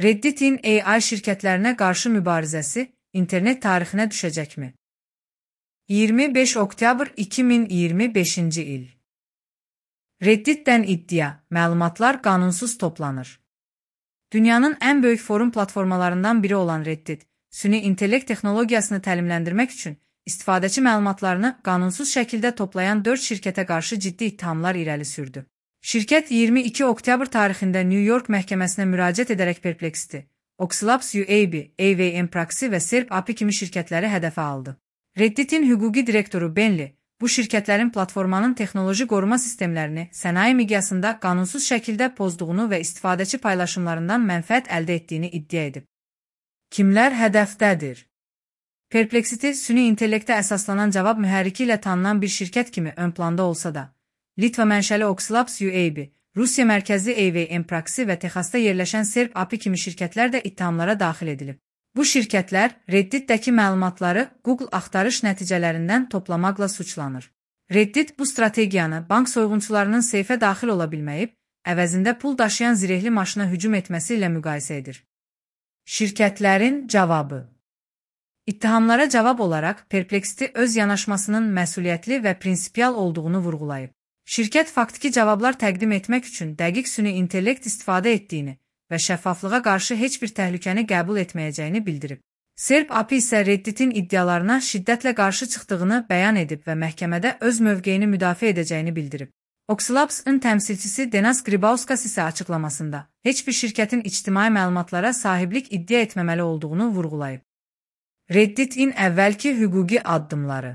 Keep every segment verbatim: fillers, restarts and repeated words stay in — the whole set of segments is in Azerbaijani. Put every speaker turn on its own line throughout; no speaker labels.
Reddit'in A I şirketlerine qarşı mübarizəsi internet tarixinə düşəcəkmi? iyirmi beş oktyabr iki min iyirmi beşinci il. Reddit'dən iddia, məlumatlar qanunsuz toplanır. Dünyanın ən böyük forum platformalarından biri olan Reddit, süni intellekt texnologiyasını təlimləndirmək üçün istifadəçi məlumatlarını qanunsuz şəkildə toplayan dörd şirkətə qarşı ciddi ittihamlar irəli sürdü. Şirkət iyirmi iki oktyabr tarixində New York məhkəməsinə müraciət edərək Perplexity, Oxlabs U A B, A V M Proxy və Serp A P I kimi şirkətləri hədəfə aldı. Reddit'in hüquqi direktoru Benli, bu şirkətlərin platformanın texnoloji qoruma sistemlərini sənaye miqyasında qanunsuz şəkildə pozduğunu və istifadəçi paylaşımlarından mənfəət əldə etdiyini iddia edib. Kimlər hədəfdədir? Perplexity, süni intellektə əsaslanan cavab mühərriki ilə tanınan bir şirkət kimi ön planda olsa da, Litva mənşəli Oxlabs U A B, Rusiya mərkəzli A V M Proxy və Texasda yerləşən Serp A P I kimi şirkətlər də ittihamlara daxil edilib. Bu şirkətlər Reddit'dəki məlumatları Google axtarış nəticələrindən toplamaqla suçlanır. Reddit bu strategiyanı bank soyğunçularının seyfə daxil ola bilməyib, əvəzində pul daşıyan zirehli maşına hücum etməsi ilə müqayisə edir. Şirkətlərin cavabı. İttihamlara cavab olaraq Perplexity öz yanaşmasının məsuliyyətli və prinsipial olduğunu vurğulayıb. Şirkət faktiki cavablar təqdim etmək üçün dəqiq süni intellekt istifadə etdiyini və şəffaflığa qarşı heç bir təhlükəni qəbul etməyəcəyini bildirib. Serp A P I isə Reddit'in iddialarına şiddətlə qarşı çıxdığını bəyan edib və məhkəmədə öz mövqeyini müdafiə edəcəyini bildirib. Oxlabs-ın təmsilçisi Denas Gribauskas isə açıqlamasında heç bir şirkətin ictimai məlumatlara sahiblik iddia etməməli olduğunu vurğulayıb. Reddit'in əvvəlki hüquqi addımları.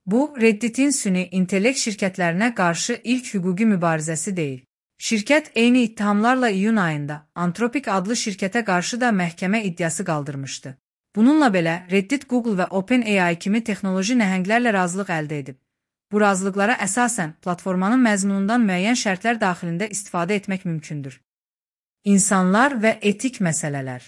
Bu, Reddit'in süni intellekt şirkətlərinə qarşı ilk hüquqi mübarizəsi deyil. Şirkət eyni ittihamlarla iyun ayında Anthropic adlı şirkətə qarşı da məhkəmə iddiası qaldırmışdı. Bununla belə, Reddit, Google və OpenAI kimi texnoloji nəhənglərlə razılıq əldə edib. Bu razılıqlara əsasən platformanın məzmunundan müəyyən şərtlər daxilində istifadə etmək mümkündür. İnsanlar və etik məsələlər.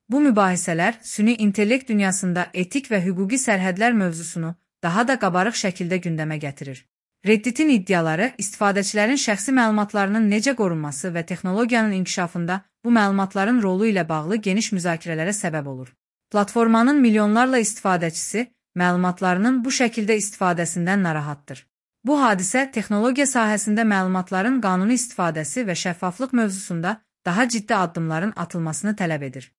Bu mübahisələr süni intellekt dünyasında etik və hüquqi sərhədlər mövzusunu daha da qabarıq şəkildə gündəmə gətirir. Reddit'in iddiaları istifadəçilərin şəxsi məlumatlarının necə qorunması və texnologiyanın inkişafında bu məlumatların rolu ilə bağlı geniş müzakirələrə səbəb olur. Platformanın milyonlarla istifadəçisi məlumatlarının bu şəkildə istifadəsindən narahatdır. Bu hadisə texnologiya sahəsində məlumatların qanuni istifadəsi və şəffaflıq mövzusunda daha ciddi addımların atılmasını tələb edir.